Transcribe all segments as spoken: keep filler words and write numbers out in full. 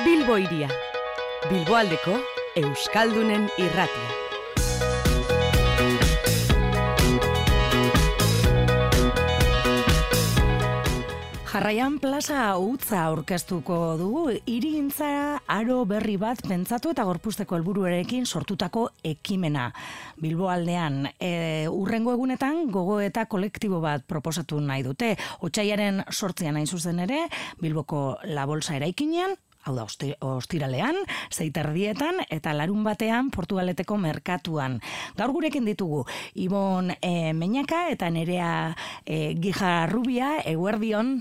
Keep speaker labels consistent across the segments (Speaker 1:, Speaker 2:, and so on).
Speaker 1: Bilbo hiria, Bilboaldeko Euskaldunen irratia. Jarraian plaza utza aurkeztuko dugu, hirigintza aro berri bat pentsatu eta gorpuzteko helburuarekin sortutako ekimena. Bilboaldean, e, urrengo egunetan gogoeta kolektibo bat proposatu nahi dute. Otsailaren sortzian hain zuzen ere, Bilboko La Bolsa eraikinean, hau da, ostiralean, zeiterdietan eta larun batean Portugaleteko merkatuan. Gaur gurekin ditugu, Ibon e, Meñaka eta Nerea e, Gijarrubia, eguerdion.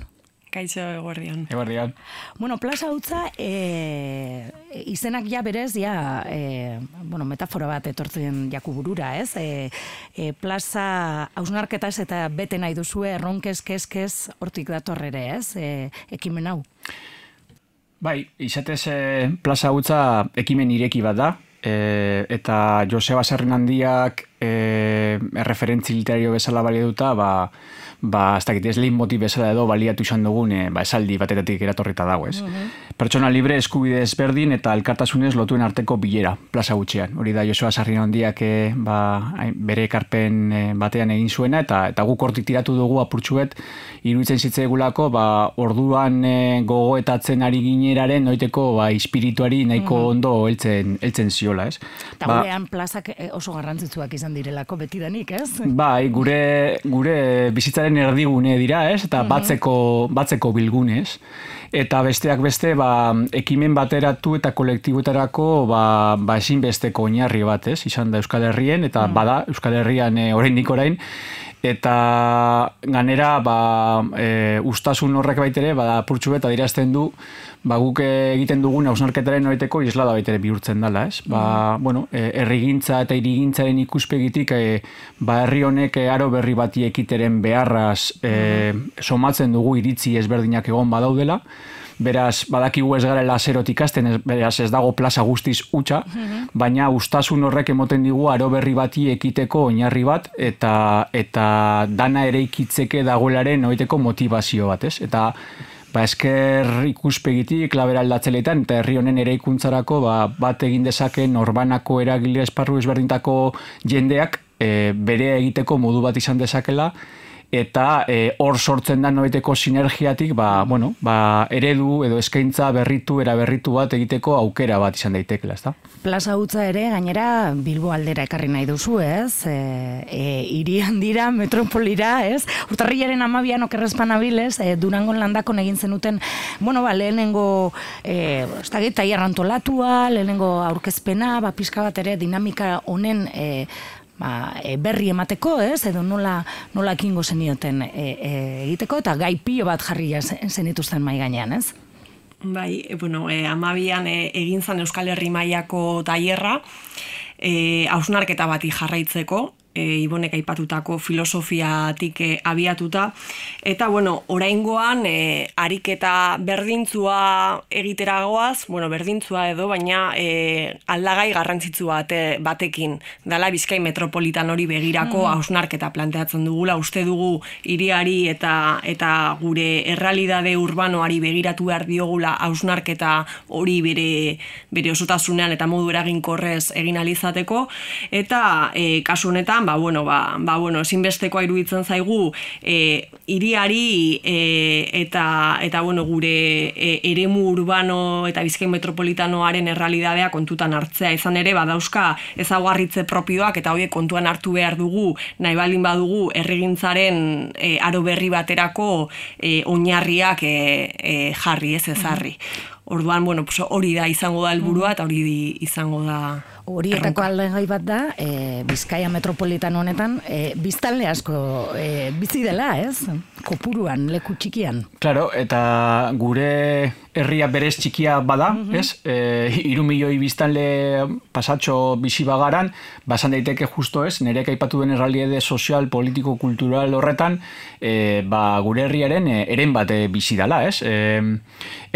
Speaker 2: Kaixo, eguerdion.
Speaker 3: Eguerdion.
Speaker 1: Bueno, plaza utza, e, izenak ja berez, ja, e, bueno, metafora bat etortzen jaku burura, ez? E, e, plaza hausnarketaz eta bete nahi duzue, erronkez, kezkez, hortik dator ere, ez? E, ekimen hau.
Speaker 3: Bai, izatez e, plaza utza ekimen ireki bat da, e, eta Joseba Sarrinandiak e, erreferentzi literario bezala balioduta, ba, ba, ez dakit, ez lehin motiv bezala edo baliatu izan dugun, e, ba, esaldi batetatik eratorrita dago, ez. Uh-huh. Pertsona libre, eskubide ezberdin eta elkartasunez lotuen arteko bilera, plaza gutxean. Hori da Joseba Sarrinandiak e, ba, bere ekarpen e, batean egin zuena, eta eta guk hortik tiratu dugu apurtxuet, iruditzen zitzaigulako, ba, orduan e, gogoetatzen ari gineraren, noiteko, ba, espirituari nahiko uh-huh. ondo heltzen, heltzen ziola, ez.
Speaker 1: Eta ba, gurean plazak oso garrantzitsuak izan direlako betidanik, ez?
Speaker 3: Bai, gure, gure bizitzaren erdigune dira, ez? Eta batzeko, batzeko bilgune, ez? Eta besteak beste, ba, ekimen bateratu eta kolektiboetarako ba, ba ezinbesteko oinarri bat, ez? Izan da Euskal Herrien, eta mm. bada Euskal Herrian e, oraindik orain, eta ganera ba, e, ustasun horrek baitere, bada purtsu eta dirazten du, ba, guk egiten dugun hausnarketaren noriteko islada baitere bihurtzen dela, ez? Ba, mm. bueno, e, herrigintza eta hirigintzaren ikuspegitik, e, ba, herri honek aro berri bati ekiteren beharraz e, mm. somatzen dugu iritzi ezberdinak egon badaudela, beraz, badakigu ez garela zerotik ikasten, beraz ez dago plaza guztiz hutsa, mm-hmm. baina ustasun horrek emoten digu aro berri bati ekiteko oinarri bat, eta eta dana ere ikitzeke dagoelaren noiteko motivazio bat, ez? Eta ba, esker ikuspegitik, klabera aldatzeletan, eta herri honen eraikuntzarako ba, bat egin dezaken norbanako eragile esparru ezberdintako jendeak e, bere egiteko modu bat izan dezakela, eta hor e, sortzen da noiteko sinergiatik ba, bueno, ba, eredu edo eskaintza berritu, eraberritu bat egiteko aukera bat izan daitekela, ezta?
Speaker 1: Plaza utza ere, gainera, Bilbo aldera ekarri nahi duzu, ez? E, e, hirian dira, metropolira, ez? Urtarrilaren amabian okerrezpan abilez, e, Durangon landakon egin zenuten, bueno, ba, lehenengo, e, ez da gita, antolatua, lehenengo aurkezpena, ba, pixka bat ere, dinamika honen, e, Ba, e, berri emateko, ez, edo nola, nola ekingo zenioten e, e, egiteko, eta gai pilo bat jarria zenituzten mai gainean, ez?
Speaker 2: Bai, e, bueno, e, amabian e, egin zan Euskal Herri mailako tailerra, e, hausnarketa bati jarraitzeko, e, Ibonek aipatutako filosofiatik e, abiatuta, eta, bueno, oraingoan e, ariketa berdintzua egiteragoaz, bueno, berdintzua edo, baina e, aldagai garrantzitsu bate, batekin, dala Bizkai metropolitan hori begirako hausnarketa mm. planteatzen dugula, uste dugu hiriari eta eta gure errealidade urbanoari begiratu behar diogula hausnarketa hori bere, bere osotasunean eta modu eraginkorrez egin alizateko, eta e, kasu honetan, ba, bueno, ba, ba, bueno, ezinbestekoa iruditzen zaigu e, hiriari e, eta, eta bueno, gure e, eremu urbano eta Bizkai metropolitanoaren errealidadea kontutan hartzea, izan ere, badauzka ezaugarritze propioak eta horiek kontuan hartu behar dugu, nahi baldin badugu herrigintzaren e, aro berri baterako e, oinarriak e, e, jarri, ez ezarri. Orduan, bueno, pues hori da izango da helburua eta hori izango da
Speaker 1: horietako aldegai bat da, e, Bizkaia metropolitan honetan, e, biztanle asko e, bizi dela, ez? Kopuruan, leku txikian.
Speaker 3: Claro, eta gure herria berez txikia bada, uh-huh. ez? E, iru milioi biztanle pasatxo bizi bagaran, basan daiteke justo ez, nerek aipatu den errealitate sozial, politiko, kultural horretan, e, ba, gure herriaren e, eren bat e, bizi dela, ez? E,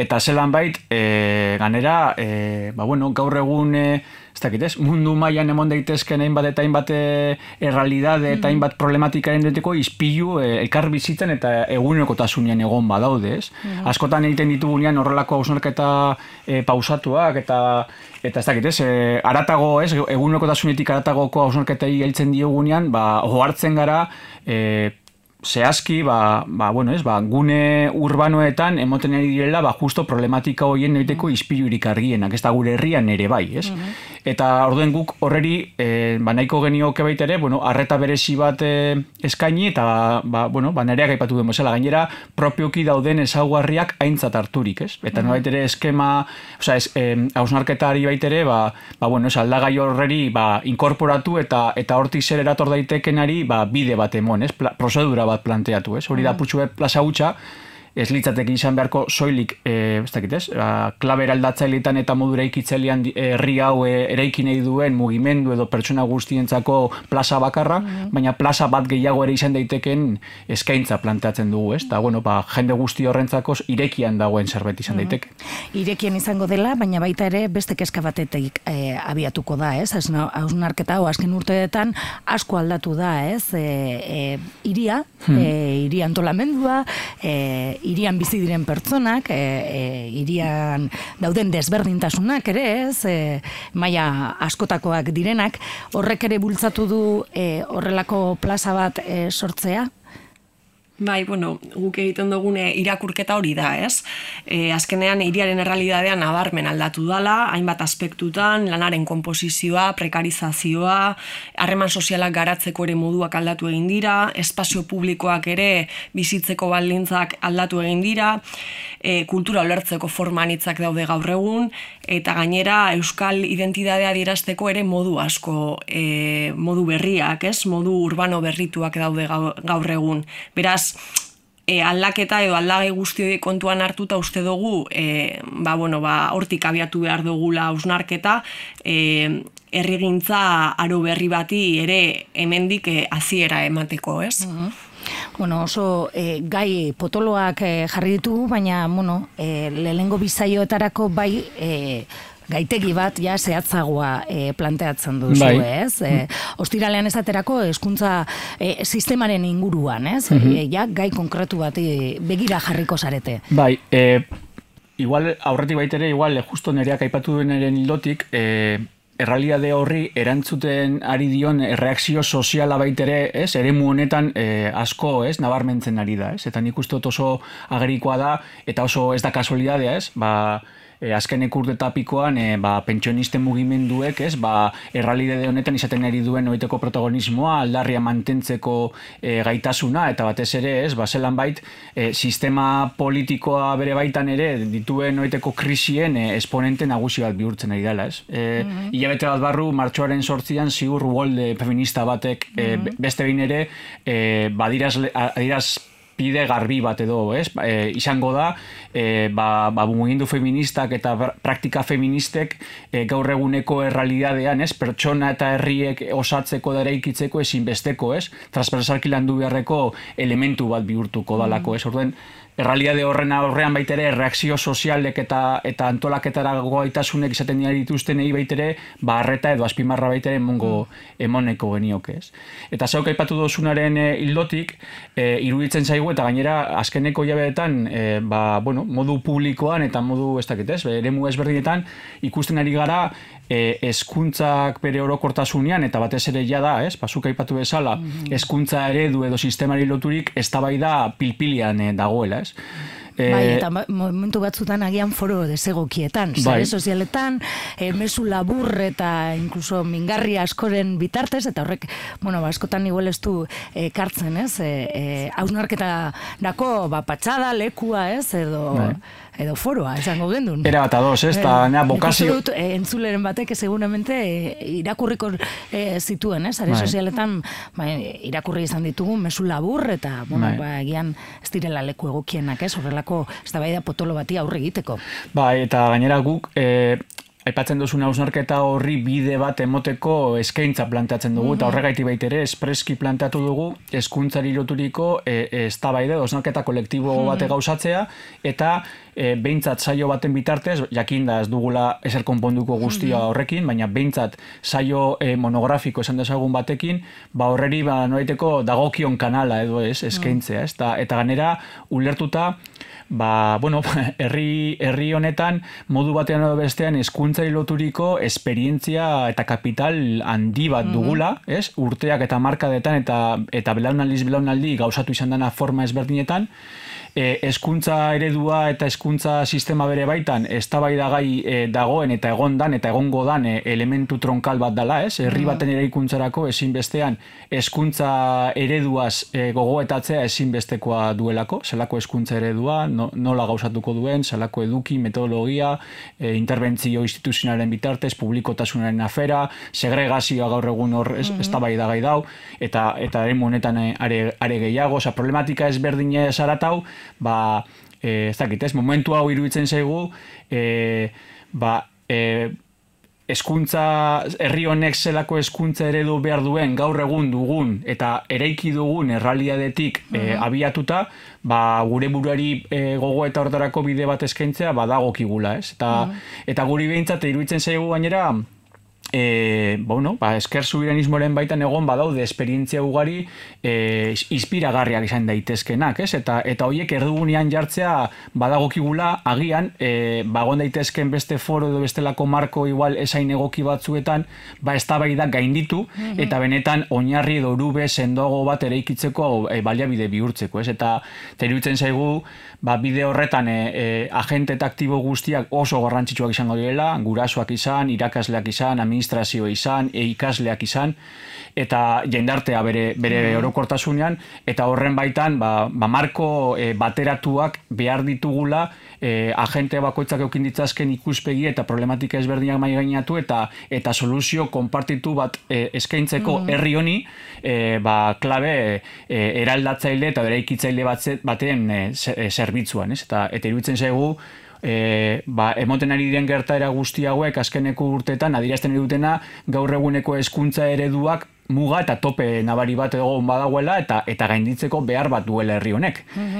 Speaker 3: eta zelan bait, e, ganera, e, ba, bueno, gaur egun e, ez dakit ez, mundu mailan emon daitezken hainbat eta hainbat errealidade eta hainbat problematikaren deteko izpilu elkar bizitzen eta egunerokotasunean egon badaude, ez? Mm-hmm. Askotan egiten ditugunean horrelako hausnarketa e, pausatuak eta eta ez dakit ez, e, aratago, ez, egunerokotasunetik aratagoko hausnarketei heltzen diogunean, ba, ohartzen gara, e, zehazki, ba, ba, bueno, ez, ba, gune urbanoetan emoten ari direla, ba, justo problematika horien noiteko izpilurik argienak, ez da gure herrian ere bai, ez? Mm-hmm. Eta orduen guk horreri, e, ba, nahiko genioke baita ere, bueno, arreta berezi bat e, eskaini, eta, ba, bueno, ba, nereak aipatu den bezala, gainera, propioki dauden ezaugarriak aintzat harturik, ez? Eta mm-hmm. baitere eskema, osea, es, e, hausnarketari baitere, ba, ba, bueno, ez, aldagai horreri, ba, inkorporatu eta eta hortik zer erator daitekenari, ba, bide bat emon, ez? Pla, prozedura bat planteatu, ez? Hori da putxu plaza hutsa, ez litzateke izan beharko soilik, e, ez dakit ez, klabe eraldatzaileetan eta modura ikitzailean herri hau e, eraiki nahi duen mugimendu edo pertsona guztientzako plaza bakarra, mm-hmm. baina plaza bat gehiago ere izan daiteken eskaintza planteatzen dugu, ez? Eta, bueno, ba, jende guzti horrentzako irekian dagoen zerbait izan mm-hmm. daiteke.
Speaker 1: Irekian izango dela, baina baita ere beste kezka batetik e, abiatuko da, ez? Hausnarketa hau azken urteetan asko aldatu da, ez? E, e, iria, hmm. e, iria antolamendua, e, irian bizi diren pertsonak, e, e, irian dauden desberdintasunak ere, ez, e, maila askotakoak direnak, horrek ere bultzatu du e, horrelako plaza bat e, sortzea?
Speaker 2: Bai, bueno, guk egiten dugune irakurketa hori da, ez? E, azkenean, hiriaren errealitatean nabarmen aldatu dala, hainbat aspektutan, lanaren konposizioa, prekarizazioa, harreman sozialak garatzeko ere moduak aldatu egin dira, espazio publikoak ere bizitzeko baldintzak aldatu egin dira, e, kultura ulertzeko forma anitzak daude gaur egun, eta gainera euskal identitatea adierazteko ere modu asko, e, modu berriak, ez? Modu urbano berrituak daude gaur egun. Beraz, E, aldaketa edo aldagai guzti kontuan hartuta uste dugu, e, ba, bueno, ba, hortik abiatu behar dugula hausnarketa, e, herrigintza aro berri bati ere hemendik e, hasiera emateko, ez?
Speaker 1: Mm-hmm. Bueno, oso e, gai potoloak e, jarri ditugu, baina, bueno, e, lehengo bizaioetarako bai e, gaitegi bat ja zehatzagoa e, planteatzen duzu, bai. Ez? E, ostiralean esaterako hezkuntza e, sistemaren inguruan, ez? Mm-hmm. E, ja gai konkretu bat e, begira jarriko zarete.
Speaker 3: Bai, e, igual aurretik baitere, igual justo nereak aipatu duenaren hildotik, e, errealitate horri erantzuten ari dion erreakzio soziala baitere, ez? Eremu honetan e, asko, ez? Nabarmentzen ari da, ez? Eta nik uste dut oso agerikoa da, eta oso ez da kasualidadea, ez? Ba, E, azkenek urtetapikoan e, ba, pentsionisten mugimenduek, ez, ba, errealitate honetan izaten ari duen oiteko protagonismoa, aldarria mantentzeko e, gaitasuna, eta batez ere, ez, ba, zelan bait, e, sistema politikoa bere baitan ere dituen oiteko krisien e, esponente nagusi bat bihurtzen ari dela, ez. E, mm-hmm. Ilabete bat barru, martxoaren sortzian, ziur uolde feminista batek mm-hmm. e, beste behin ere, e, badiraz, adiraz pide garbi bat edo, ez? E, izango da, e, ba, ba, mugimendu feministak eta praktika feministek e, gaur eguneko errealitatean, ez? Pertsona eta herriek osatzeko da eraikitzeko ezinbesteko, ez? Transversalki landu beharreko elementu bat bihurtuko dalako, ez? Orduen, errealitate horren aurrean baitere erreakzio sozialek eta eta antolaketara gaitasunek izaten dira dituztenei baitere barreta edo azpimarra baitere emongo emoneko genioke, ez? Eta zeuk aipatu dozunaren hildotik, e, iruditzen zaigu eta gainera azkeneko hilabetetan e, ba, bueno, modu publikoan eta modu ez dakit, ez? Eremu ezberdinetan ikusten ari gara e, hezkuntzak bere orokortasunean eta batez ere ja da, ez? Bazuk aipatu bezala, hezkuntza eredu edo sistemari loturik eztabaida pilpilian e, dagoela, ez?
Speaker 1: Bai, eta momentu batzutan agian foro desegokietan, sare sozialetan, e, mezu labur eta inkluso mingarri askoren bitartez, eta horrek, bueno, askotan igual ez du ekartzen, ez? Hausnarketa e, e, dako, ba, patxada, lekua, ez? Edo... Bai. Edo foroa, esango gendun.
Speaker 3: Era bat ados, ez? Eta nea bokazio...
Speaker 1: Dut, e, entzuleren batek seguramente e, irakurriko e, zituen, ez? Are sozialetan ba, irakurri izan ditugu mezu labur eta, bueno, ba, egian ez direla leku egokienak, ez? Horrelako eztabaida potolo bati aurre egiteko.
Speaker 3: Ba, eta gainera guk... E... aipatzen duzuna hausnarketa horri bide bat emoteko eskaintza planteatzen dugu, eta horregaiti baitere espreski planteatu dugu hezkuntzari loturiko eztabaida, hausnarketa kolektibo bate gauzatzea, eta e, behintzat saio baten bitartez, jakinda ez dugula ezer konponduko guztia horrekin, baina behintzat saio e, monografiko esan dezagun batekin, ba horreri ba, noraiteko dagokion kanala edo ez, eskaintzea, ez? Ta, eta ganera ulertuta, ba, bueno, herri, herri honetan modu batean edo bestean hezkuntzari loturiko esperientzia eta kapital handi bat dugula, ez? Urteak eta markadetan eta eta belaunaldiz belaunaldi gauzatu izan dena forma ezberdinetan, hezkuntza eredua eta hezkuntza sistema bere baitan eztabaidagai e, dagoen eta egondan eta egongo dan e, elementu tronkal bat dela, ez? Herri baten eraikuntzarako ezinbestean hezkuntza ereduaz e, gogoetatzea ezinbestekoa duelako, zelako hezkuntza eredua, no, nola gauzatuko duen, zelako eduki, metodologia, e, interbentzio instituzionalen bitartez, publikotasunaren afera, segregazioa gaur egun hor eztabaidagai dau, eta eta eremu honetan are, are gehiago, oza, problematika ezberdine zaratau, ba, e, ez dakit, ez, momentu hau iruditzen zaigu, e, ba, e, hezkuntza, herri honek zelako hezkuntza eredu behar duen gaur egun dugun eta eraiki dugun errealitatetik e, abiatuta, ba, gure buruari e, gogo eta hortarako bide bat eskaintzea badagokigula, ez? Eta, eta guri behintzat iruditzen zaigu gainera, E, bueno, ba, esker subiranismoaren baitan egon badaude esperientzia ugari e, inspiragarriak izan daitezkenak, ez? Eta, eta horiek erdigunean jartzea badagokigula agian, e, bagon daitezken beste foro edo bestelako marko igual esain egoki batzuetan, ba eztabaida gainditu, eta benetan oinarri edo orube sendoago bat eraikitzeko e, baliabide bihurtzeko, ez? Eta iruditzen zaigu, ba, bide horretan e, e, agente eta aktibo guztiak oso garrantzitsuak izango direla, gurasoak izan, irakasleak izan, administrazio izan, e ikasleak izan, eta jendartea bere, bere orokortasunean, eta horren baitan, ba, ba marko e, bateratuak behar ditugula, e, agente bakoitzak eukin ditzazken ikuspegi eta problematika ezberdinak mai gainatu, eta eta soluzio konpartitu bat e, eskaintzeko herri honi, e, ba, klabe e, eraldatzaile eta eraikitzaile baten e, zerbitzuan, ez? Eta, eta iruditzen zaigu, E, ba, emoten ari diren gertaera guzti hauek azkeneko urteetan adierazten dutena gaur eguneko hezkuntza ereduak muga eta tope nabari bat egon badagoela eta eta gainditzeko behar bat duela herri honek.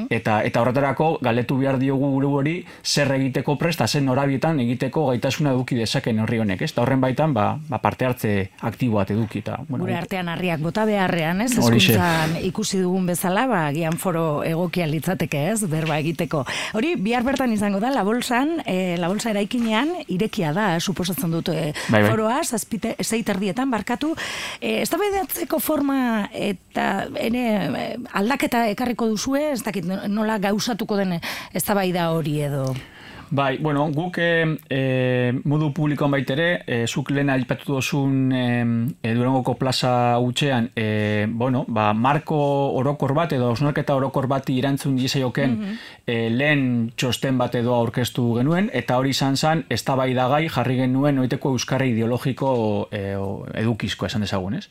Speaker 3: Eta eta horretarako galetu behar diogu gure hori zer egiteko presta, zen norabietan egiteko gaitasuna eduki dezaken herri honek, ez? Eta horren baitan ba, ba parte hartze aktibo bat eduki eta bueno,
Speaker 1: gure artean harriak bota beharrean, ez? Hezkuntzan ikusi dugun bezala, ba gian foro egokia litzateke, ez? Berba egiteko. Hori bihar bertan izango da La Bolsan, e, La Bolsa eraikinean irekia da, suposatzen dut e, bai, bai. Foroa zazpite sei terdietan barkatu, e, eztabaidatzeko forma eta ere aldaketa ekarriko duzue, ez dakit nola gauzatuko den eztabaida hori edo.
Speaker 3: Bai, bueno, guk e, e, modu publikoan baitere, e, zuk lehen aipatu dozun e, e, Durangoko plaza hutsean, e, bueno, ba, marko orokor bat edo hausnarketa orokor bati erantzun diezaioken mm -hmm. e, lehen txosten bat edo aurkeztu genuen, eta hori izan zen eztabaidagai jarri genuen oiteko euskarri ideologiko e, edukizko esan dezagun, ez?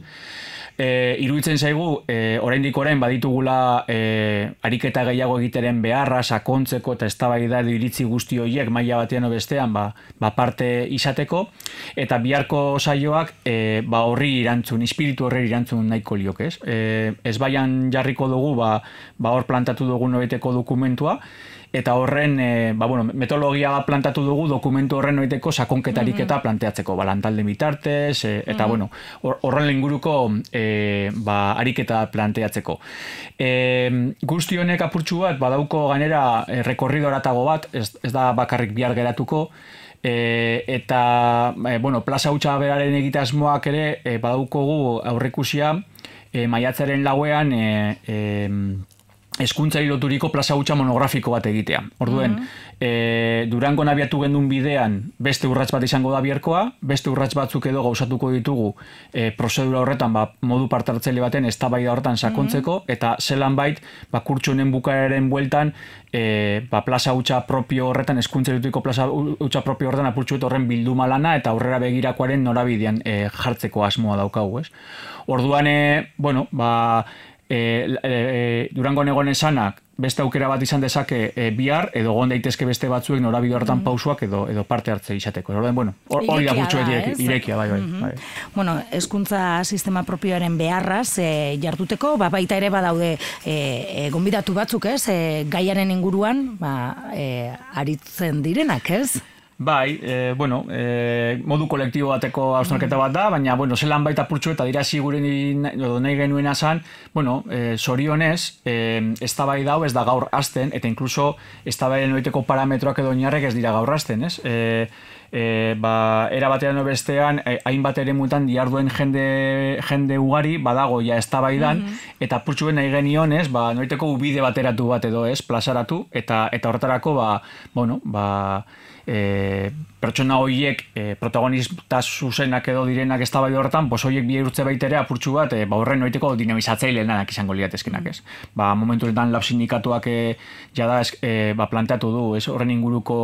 Speaker 3: E, iruditzen zaigu, e, oraindik orain baditugula e, ariketa gehiago egiteren beharra, sakontzeko eta eztabaida edo iritzi guzti horiek maila batean bestean ba, ba parte izateko, eta biharko saioak e, ba horri irantzun, espiritu horri irantzun nahiko liok, ez? E, ez baian jarriko dugu, ba, ba hor plantatu dugu noiteko dokumentua, eta horren, e, ba, bueno, metodologia bat plantatu dugu dokumentu horren noiteko sakonketarik eta planteatzeko, ba, lantalde bitartez, e, eta, bueno, horren inguruko e, ba, ariketa planteatzeko. E, guzti honek apurtxu bat, badauko gainera e, rekorrido eratago bat, ez, ez da bakarrik bihar geratuko, e, eta, e, bueno, plaza hutsa beraren egitasmoak ere, e, badaukogu aurrekusia, e, maiatzaren lauean, e, e, hezkuntzari loturiko plaza hutsa monografiko bat egitea. Orduen, mm -hmm. e, Durangon abiatu gendun bidean beste urrats bat izango da biharkoa, beste urrats batzuk edo gauzatuko ditugu e, prozedura horretan ba, modu partartzaile baten eztabaida horretan sakontzeko, mm -hmm. eta zelan bait, ba, kurtso honen bukaeraren bueltan e, ba, plaza hutsa propio horretan, hezkuntzari loturiko plaza hutsa propio horretan apurtxuet horren bilduma lana eta aurrera begirakoaren norabidean e, jartzeko asmoa daukagu, ez? Orduan, e, bueno, ba, E, e, Durangon egon esanak beste aukera bat izan dezake e, bihar, edo egon daitezke beste batzuek norabide hortan mm. pausuak edo edo parte hartze izateko. Orduan, bueno, hori da gutxu irekia, bai, bai, mm-hmm. bai.
Speaker 1: Bueno, hezkuntza sistema propioaren beharraz e, jarduteko, ba, baita ere badaude e, e, gonbidatu batzuk, ez? E, gaiaren inguruan, ba, e, aritzen direnak, ez?
Speaker 3: Bai, e, bueno, e, modu kolektibo bateko hausnarketa bat da, baina, bueno, zelan baita purtsu eta dira ziguren nahi genuena zan, bueno, e, zorionez, e, eztabaida hau ez da gaur hasten, eta inkluso eztabaiden noiteko parametroak edo oinarrek ez dira gaur hasten, ez? E, e, ba, era batean bestean, e, hainbat ere mutan diarduen jende, jende ugari, badago ja eztabaidan, mm-hmm. eta purtsuen nahi genion, ez, ba, noiteko ubide bateratu bat edo, ez, plazaratu, eta, eta horretarako, ba, bueno, ba, E, pertsona horiek e, protagonista zuzenak edo direnak eztabaida horretan, pos horiek bihurtze baitere apurtxu bat, e, ba horren noiteko dinamizatzaileanak izango liatezkenak, ez. Ba, momentu honetan lab sindikatuak e, jada e, ba, planteatu du, ez, horren inguruko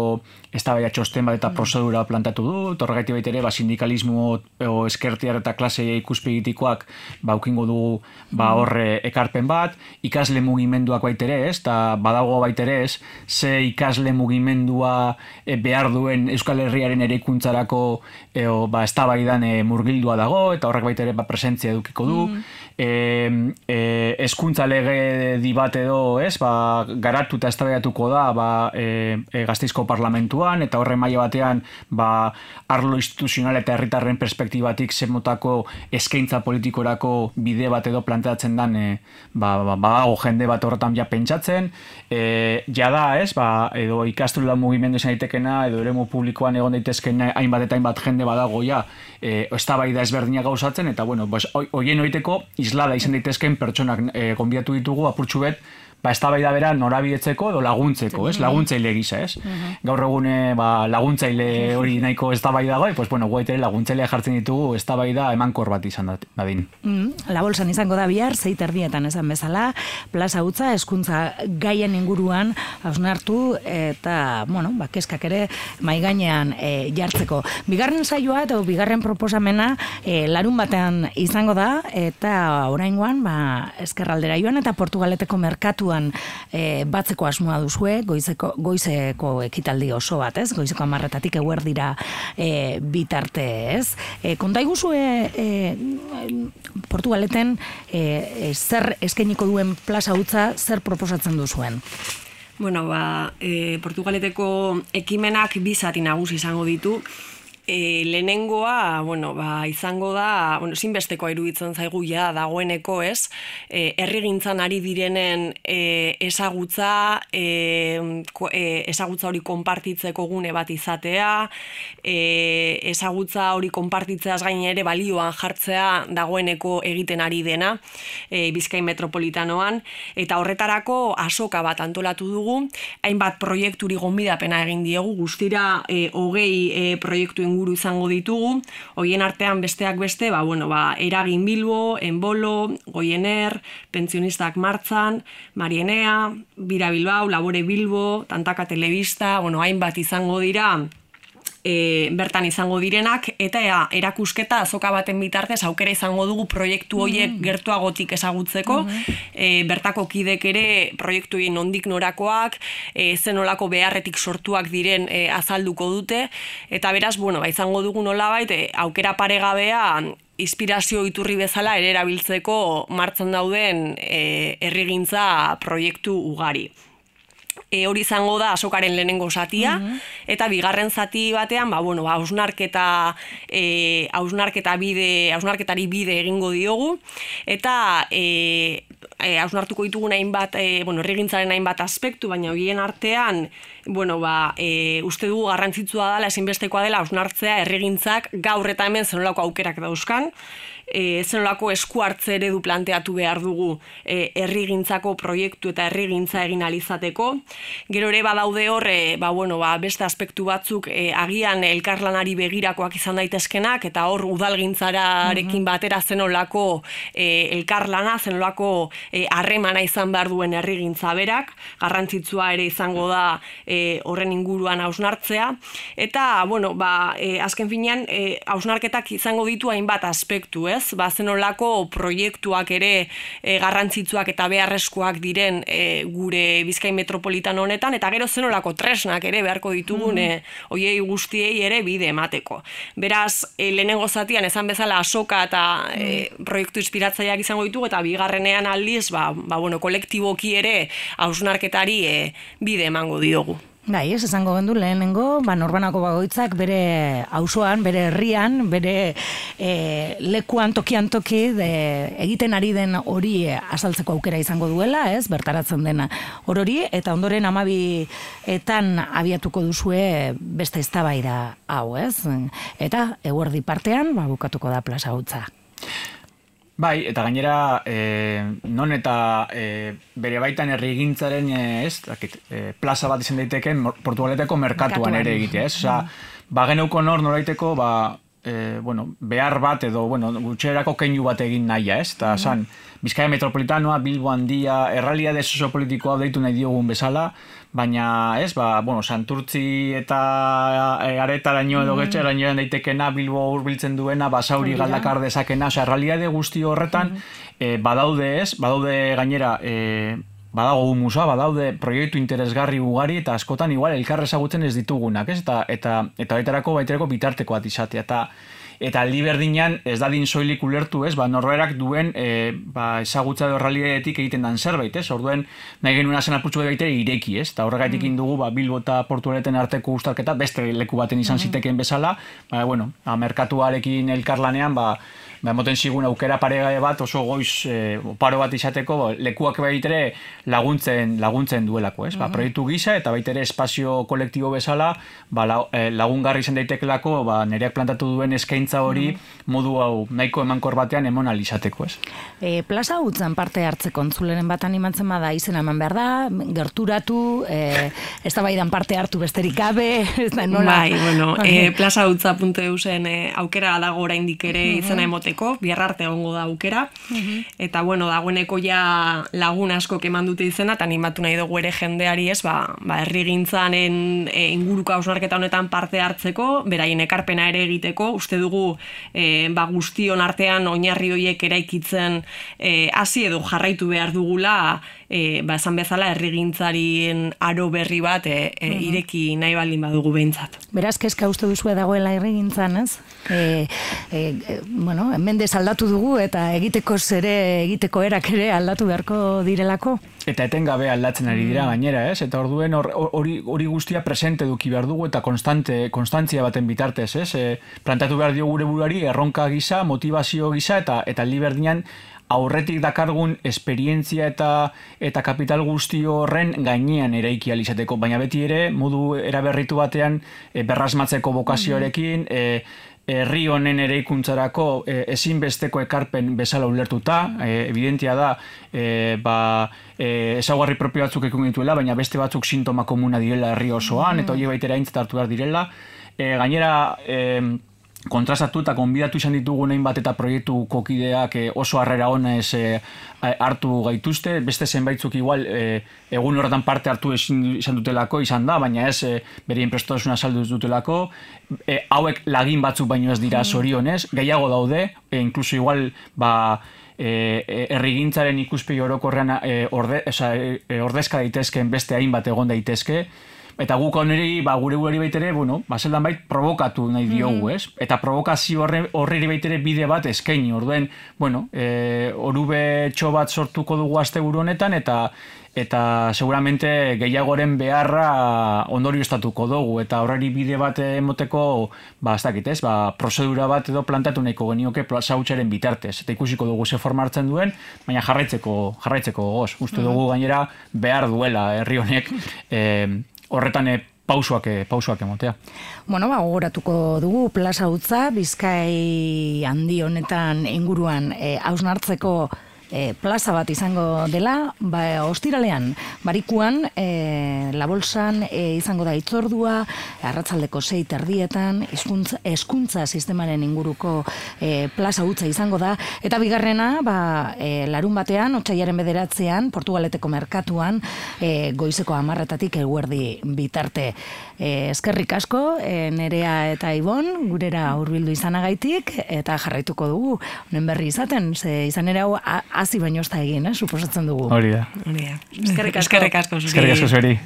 Speaker 3: eztabaida txosten bat eta prozedura planteatu du, torregaiti baitere, ba, sindikalismo o eskertiar eta klase ikuspegitikoak ba, ukingo dugu ba, horre ekarpen bat, ikasle mugimenduak baitere, ez, eta badago baitere, ez, ze ikasle mugimendua e, behar duen Euskal Herriaren eraikuntzarako eo, ba, eztabaidan e, murgildua dago, eta horrek baita ere ba, presentzia edukiko du. Mm. E, e, hezkuntza lege di bat edo, ez, ba, garatu eta eztabaidatuko da ba, e, e, Gasteizko parlamentuan, eta horre maila batean ba, arlo instituzional eta herritarren perspektibatik zemotako eskaintza politikorako bide bat edo planteatzen dan, e, ba, ba, ba, jende bat horretan ja pentsatzen, e, jada, ez, ba, edo ikastola mugimendu izan daitekena, edo eremu publikoan egon daitezken hainbat eta hainbat jende badago ja, e, eztabaida ezberdinak gauzatzen, eta bueno, pues, hoien oiteko islada izan daitezken pertsonak e, gonbidatu ditugu apurtxu bet, ba, eztabaida bera norabidetzeko edo laguntzeko, ez? Laguntzaile gisa, ez? Uh-huh. Gaur egune ba, laguntzaile hori nahiko eztabaida goi, pues bueno, guaitere laguntzailea jartzen ditugu eztabaida emankor bat izan dadin.
Speaker 1: Mm, la bolsan izango da bihar, zeit erdietan esan bezala, plaza utza, hezkuntza gaien inguruan hausnartu eta, bueno, ba, keskak ere maigainean e, jartzeko. Bigarren saioa eta bigarren proposamena e, larun batean izango da, eta oraingoan, ba, ezkerraldera joan eta Portugaleteko merkatu E, batzeko asmoa duzue, goizeko, goizeko ekitaldi oso bat, ez? Goizeko amarretatik eguerdira e, bitarte, ez? E, konta iguzue e, Portugaleten e, e, zer eskainiko duen plaza utza, zer proposatzen duzuen?
Speaker 2: Bueno, ba, e, Portugaleteko ekimenak bi zati nagusi izango ditu. E, lehenengoa, bueno, ba, izango da, bueno, zinbestekoa iruditzen zaigu ja dagoeneko, ez? E, herrigintzan ari direnen e, ezagutza, e, ko, e, ezagutza hori konpartitzeko gune bat izatea, e, ezagutza hori konpartitzeaz gain ere balioan jartzea dagoeneko egiten ari dena, e, Bizkaia metropolitanoan, eta horretarako azoka bat antolatu dugu, hainbat proiekturi gonbidapena egin diegu, guztira e, hogei e, proiektu inguru izango ditugu, hoien artean besteak beste, ba, bueno, ba, Eragin Bilbo, Enbolo, Goiener, Pentsionistak Martzan, Marienea, Bira Bilbao, Labore Bilbo, Tantaka Telebista, bueno, hainbat izango dira, E, bertan izango direnak, eta ea, erakusketa azoka baten bitartez aukera izango dugu proiektu horiek mm. gertuagotik ezagutzeko, mm-hmm. e, bertako kidek ere proiektu horien nondik norakoak, e, zenolako beharretik sortuak diren e, azalduko dute, eta beraz, bueno, ba, izango dugu nolabait, e, aukera paregabea inspirazio iturri bezala ere erabiltzeko martxan dauden e, herrigintza proiektu ugari. E, hori izango da azokaren lehenengo zatia, mm-hmm. eta bigarren zati batean, ba, bueno, ba, hausnarketa, e, hausnarketa bide, hausnarketari bide egingo diogu, eta e, e, hausnartuko ditugu hainbat, e, bueno, herrigintzaren hainbat aspektu, baina horien artean, bueno, ba, e, uste dugu garrantzitsua dela, ezinbestekoa dela hausnartzea herrigintzak gaur eta hemen zenolako aukerak dauzkan, E, zenolako esku hartze eredu planteatu behar dugu e, herrigintzako proiektu eta herrigintza egin alizateko. Gero ere badaude hor, e, ba, bueno, ba, beste aspektu batzuk e, agian elkarlanari begirakoak izan daitezkenak, eta hor udalgintzararekin batera zenolako e, elkarlana, zenolako harremana e, izan behar duen herrigintza berak, garrantzitsua ere izango da e, horren inguruan hausnartzea, eta, bueno, ba, e, azken finean, e, hausnarketak izango ditu hainbat aspektu, ez? ez? Ba, zenolako proiektuak ere e, garrantzitsuak eta beharrezkoak diren e, gure Bizkai metropolitano honetan, eta gero zenolako tresnak ere beharko ditugun mm-hmm. e, oiei guztiei ere bide emateko. Beraz, e, lehenengo zatian esan bezala asoka eta e, proiektu inspiratzaileak izango ditugu, eta bigarrenean aldiz, ba, ba, bueno, kolektiboki ere hausnarketari e, bide emango diogu.
Speaker 1: Bai, ez esango gendu lehenengo, ba, norbanako bagoitzak bere auzoan, bere herrian, bere e, lekuan tokian toki de, egiten ari den hori azaltzeko aukera izango duela, ez, bertaratzen dena hori, eta ondoren amabietan abiatuko duzue beste eztabaida hau, ez, eta eguerdi partean, ba, bukatuko da Plaza Utza.
Speaker 3: Bai, eta gainera, e, non eta e, bere baitan herrigintzaren e, ez, dakit, e, plaza bat izan daiteken Portugaleteko merkatuan ere egitea, ez? Osa, ba geneuko nor noraiteko, ba, e, bueno, behar bat edo, bueno, gutxerako keinu bat egin nahia, ez? Eta, san, Bizkaia metropolitanoa, Bilbo handia, errealitate soziopolitikoa deitu nahi diogun bezala, baina, ez, ba, bueno, Santurtzi eta e, Aretaraino edo Getxeraino daitekena, Bilbo hurbiltzen duena, Basauri galdakar dezakena, osea, errealitate guzti horretan e, badaude, ez, badaude gainera, e, badago humusa, badaude proiektu interesgarri ugari eta askotan igual elkar ezagutzen ez ditugunak, ez? Eta eta eta baiterako baiterako bitarteko bat izatea eta eta aldi berdinean ez dadin soilik ulertu, ez? Ba norberak duen e, ba ezagutza edo errealitatetik egiten dan zerbait, ez? Orduen nahi genuena zen apurtxo baitere ireki, ez? Ta horregatik mm. dugu ba Bilbo eta Portugaleten arteko uztarketa beste leku baten izan mm. zitekeen bezala, ba bueno, a merkatuarekin elkarlanean ba ba emoten zigun aukera pare bat oso goiz e, paro bat izateko lekuak baitere laguntzen laguntzen duelako, ez? Ba proiektu gisa eta baitere espazio kolektibo bezala, ba lagungarri izan daitekelako, ba nereak plantatu duen eskaintza hori modu hau nahiko emankor batean emon ahal izateko, ez?
Speaker 1: E, Plaza Utzan parte hartzeko entzuleren bat animatzen bada izena eman behar da, gerturatu, e, eztabaidan parte hartu besterik gabe, ez da nola?
Speaker 2: Bai, bueno, e, plaza utza puntu e u zen e, aukera dago oraindik ere izena emote bihar arte egongo da aukera, uh-huh. eta bueno, dagoeneko ja lagun asko eman dute izena, eta animatu nahi dugu ere jendeari ez, ba, ba herrigintzaren e, inguruko hausnarketa honetan parte hartzeko, beraien ekarpena ere egiteko, uste dugu e, ba, guztion artean oinarri horiek eraikitzen e, hasi edo jarraitu behar dugula, e, ba, esan bezala herrigintzarien aro berri bat e, e, uh-huh. ireki nahi baldin badugu behintzat.
Speaker 1: Beraz, kezka uste duzue dagoela herrigintzan, ez? E, e, e, bueno, mendez aldatu dugu eta egiteko zere, egiteko erak ere aldatu beharko direlako.
Speaker 3: Eta etengabe aldatzen ari dira gainera, ez? Eta orduen hori hori guztia presente eduki behar dugu eta konstante, konstantzia baten bitartez, ez? E, plantatu behar dio gure buruari erronka gisa, motivazio gisa eta eta aldi berdinean aurretik dakargun esperientzia eta eta kapital guzti horren gainean eraiki ahal izateko, baina beti ere modu eraberritu batean e, berrasmatzeko bokazioarekin, e, herri honen eraikuntzarako e, ezinbesteko ekarpen bezala ulertuta, e, evidentia da e, ba, e, ezaugarri propio batzuk ekun dituela, baina beste batzuk sintoma komuna direla herri osoan, eta hori baitera aintzat hartu behar direla. E, gainera, e, kontrastatu eta konbidatu izan ditugu nahin bat eta proiektu kokideak e, oso harrera honez e, hartu gaituzte, beste zenbaitzuk igual e, egun horretan parte hartu izan dutelako izan da, baina ez e, berien prestosuna saldu dutelako, e, hauek lagin batzuk baino ez dira zorionez, gehiago daude, e, inkluso igual ba, e, herrigintzaren ikuspegi orokorrean e, orde, oza, e, ordezka daitezkeen beste hainbat egon daitezke, eta guk honeri, ba, gure gure baitere, bueno, ba, zeldan bait, provokatu nahi diogu, ez? Eta provokazio horri baitere bide bat eskaini, orduen, bueno, e, orube txo bat sortuko dugu asteburu honetan, eta eta seguramente gehiagoren beharra ondorio estatuko dugu, eta horreri bide bat emoteko, ba, ez dakit, ez? Ba, prozedura bat edo plantatu nahiko genioke Plaza Utzaren bitartez, eta ikusiko dugu ze forma hartzen duen, baina jarraitzeko, jarraitzeko gogoz. Uste dugu gainera behar duela herri honek, eh, horretan e, pausoak, e, pausoak emotea.
Speaker 1: Bueno, ba, gogoratuko dugu Plaza Utza, Bizkai handi honetan inguruan e, hausnartzeko e, plaza bat izango dela, ba, ostiralean, barikuan, e, La Bolsan e, izango da itzordua, arratsaldeko sei terdietan, eskuntza, eskuntza sistemaren inguruko e, plaza hutza izango da, eta bigarrena, ba, e, larun batean, otsailaren bederatzean, Portugaleteko merkatuan, e, goizeko hamarretatik eguerdi bitarte. E, eskerrik asko, e, Nerea eta Ibon, gurera hurbildu izanagaitik, eta jarraituko dugu, honen berri izaten, ze izan ere hau hasi baino ez da egin, eh, suposatzen dugu.
Speaker 3: Hori da.
Speaker 2: Hori da.
Speaker 1: Eskerrik asko.
Speaker 2: Eskerrik asko zuri.
Speaker 3: Eskerrik asko zuri.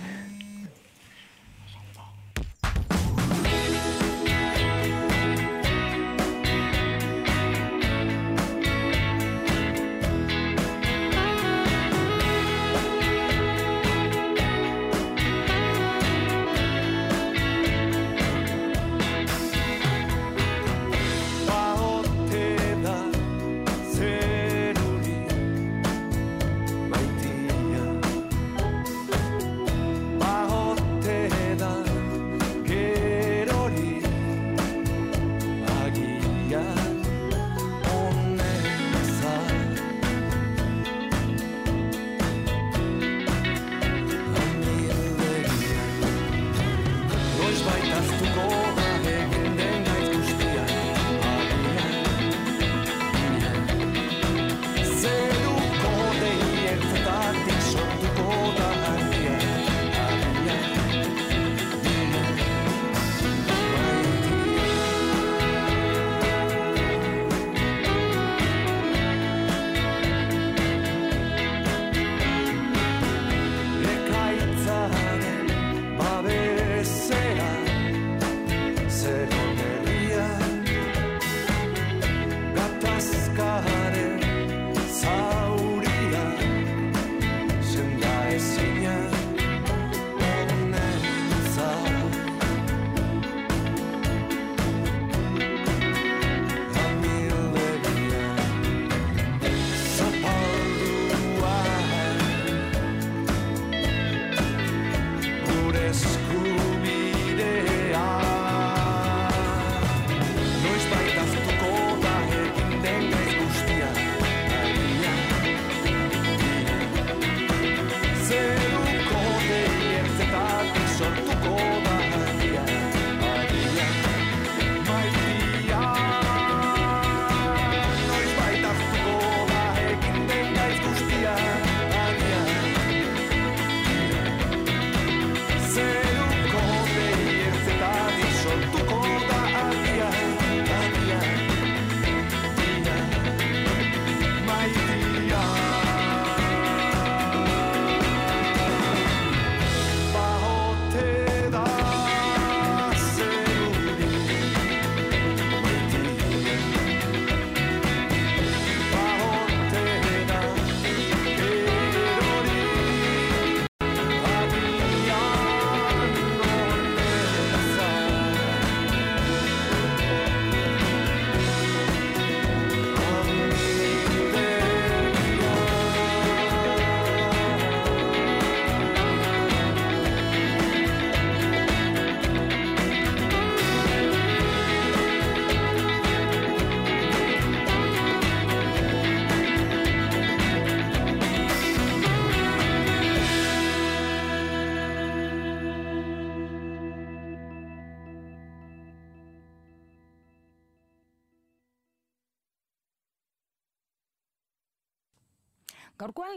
Speaker 1: Gaurkoan